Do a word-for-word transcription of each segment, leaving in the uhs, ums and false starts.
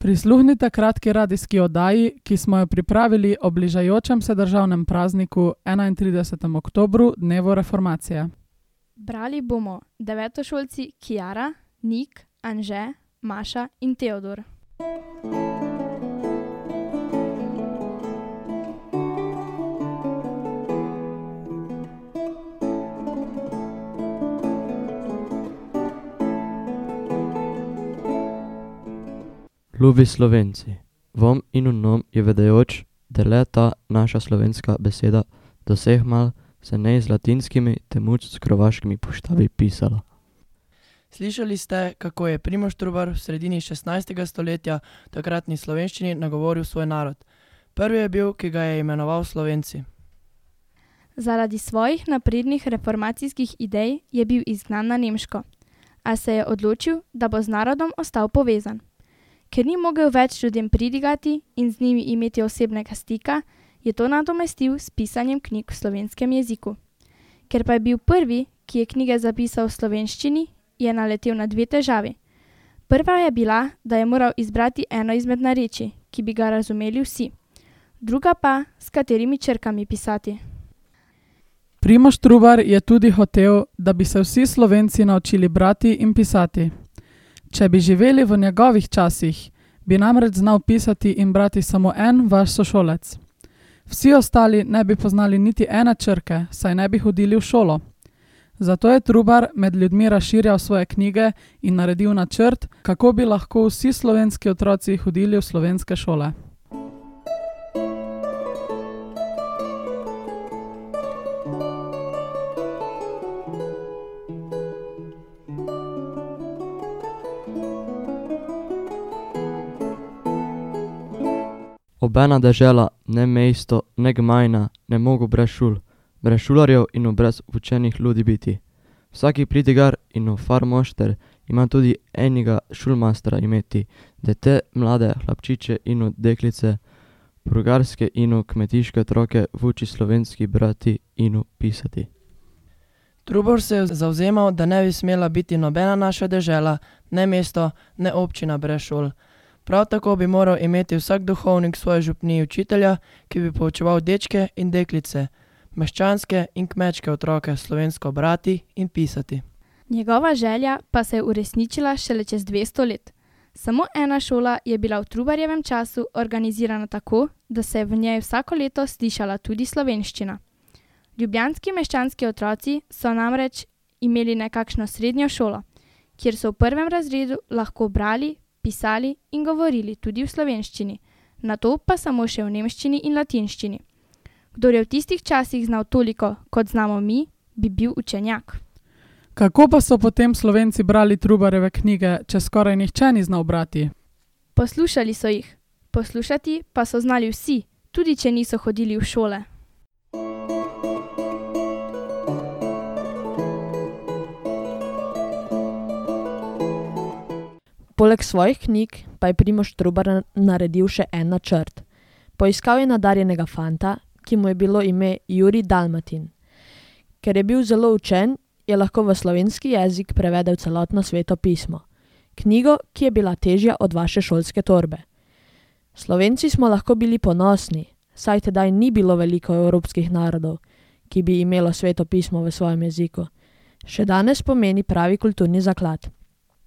Prisluhnite kratki radijski oddaji, ki smo jo pripravili ob bližajočem se državnem prazniku enaintridesetega oktobra, dnevu reformacije. Brali bomo devetošolci Kiara, Nik, Anže, Maša in Teodor. Ljubi Slovenci, vam in nam je vedajoč, da le ta naša slovenska beseda do vseh mal se ne z latinskimi, temuč s krovaškimi poštavi pisala. Slišali ste, kako je Primož Trubar v sredini šestnajstega stoletja takratni slovenščini nagovoril svoj narod. Prvi je bil, ki ga je imenoval Slovenci. Zaradi svojih naprednih reformacijskih idej je bil izgnan na Nemško, a se je odločil, da bo z narodom ostal povezan. Ker ni mogel več ljudem pridigati in z njimi imeti osebnega stika, je to nadomestil s pisanjem knjig v slovenskem jeziku. Ker pa je bil prvi, ki je knjige zapisal v slovenščini, je naletel na dve težavi. Prva je bila, da je moral izbrati eno izmed narečij, ki bi ga razumeli vsi. Druga pa, s katerimi črkami pisati. Primož Trubar je tudi hotel, da bi se vsi Slovenci naučili brati in pisati. Če bi živeli v njegovih časih, bi namreč znal pisati in brati samo en vaš sošolec. Vsi ostali ne bi poznali niti ene črke, saj ne bi hodili v šolo. Zato je Trubar med ljudmi razširjal svoje knjige in naredil načrt, kako bi lahko vsi slovenski otroci hodili v slovenske šole. Obena dežela, ne mesto, ne gmajna, ne mogo brez šul, brez šularjev in brez učenih ljudi biti. Vsaki pridigar in farmošter ima tudi enega šulmastra imeti, da te mlade hlapčiče in deklice, prugarske in kmetiške otroke vuči slovenski brati in pisati. Trubar se je zavzemal, da ne bi smela biti nobena naša dežela, ne mesto, ne občina brez šol. Prav tako bi moral imeti vsak duhovnik svoje župniji učitelja, ki bi poučeval dečke in deklice, meščanske in kmečke otroke slovensko brati in pisati. Njegova želja pa se je uresničila šele čez dvesto let. Samo ena šola je bila v Trubarjevem času organizirana tako, da se je v njej vsako leto slišala tudi slovenščina. Ljubljanski meščanski otroci so namreč imeli nekakšno srednjo šolo, kjer so v prvem razredu lahko brali, pisali in govorili tudi v slovenščini, nato pa samo še v nemščini in latinščini. Kdor je v tistih časih znal toliko, kot znamo mi, bi bil učenjak. Kako pa so potem Slovenci brali Trubarjeve knjige, če skoraj nihče ni znal brati? Poslušali so jih. Poslušati pa so znali vsi, tudi če niso hodili v šole. Poleg svojih knjig pa je Primož Trubar naredil še en načrt. Poiskal je nadarjenega fanta, ki mu je bilo ime Jurij Dalmatin. Ker je bil zelo učen, je lahko v slovenski jezik prevedel celotno Sveto pismo. Knjigo, ki je bila težja od vaše šolske torbe. Slovenci smo lahko bili ponosni, saj tedaj ni bilo veliko evropskih narodov, ki bi imelo Sveto pismo v svojem jeziku. Še danes pomeni pravi kulturni zaklad.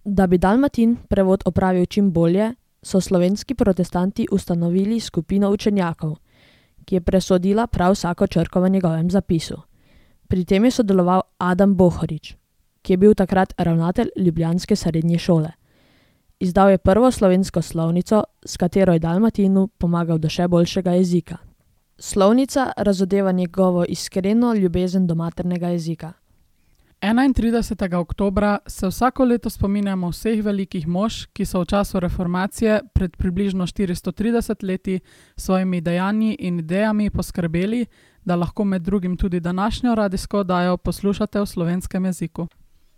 Da bi Dalmatin prevod opravil čim bolje, so slovenski protestanti ustanovili skupino učenjakov, ki je presodila prav vsako črko v njegovem zapisu. Pri tem je sodeloval Adam Bohorič, ki je bil takrat ravnatelj ljubljanske srednje šole. Izdal je prvo slovensko slovnico, s katero je Dalmatinu pomagal do še boljšega jezika. Slovnica razodeva njegovo iskreno ljubezen do maternega jezika. enaintridesetega oktobra se vsako leto spominjamo vseh velikih mož, ki so v času reformacije pred približno štiristo trideset leti svojimi dejanji in idejami poskrbeli, da lahko med drugim tudi današnjo radijsko oddajo poslušate v slovenskem jeziku.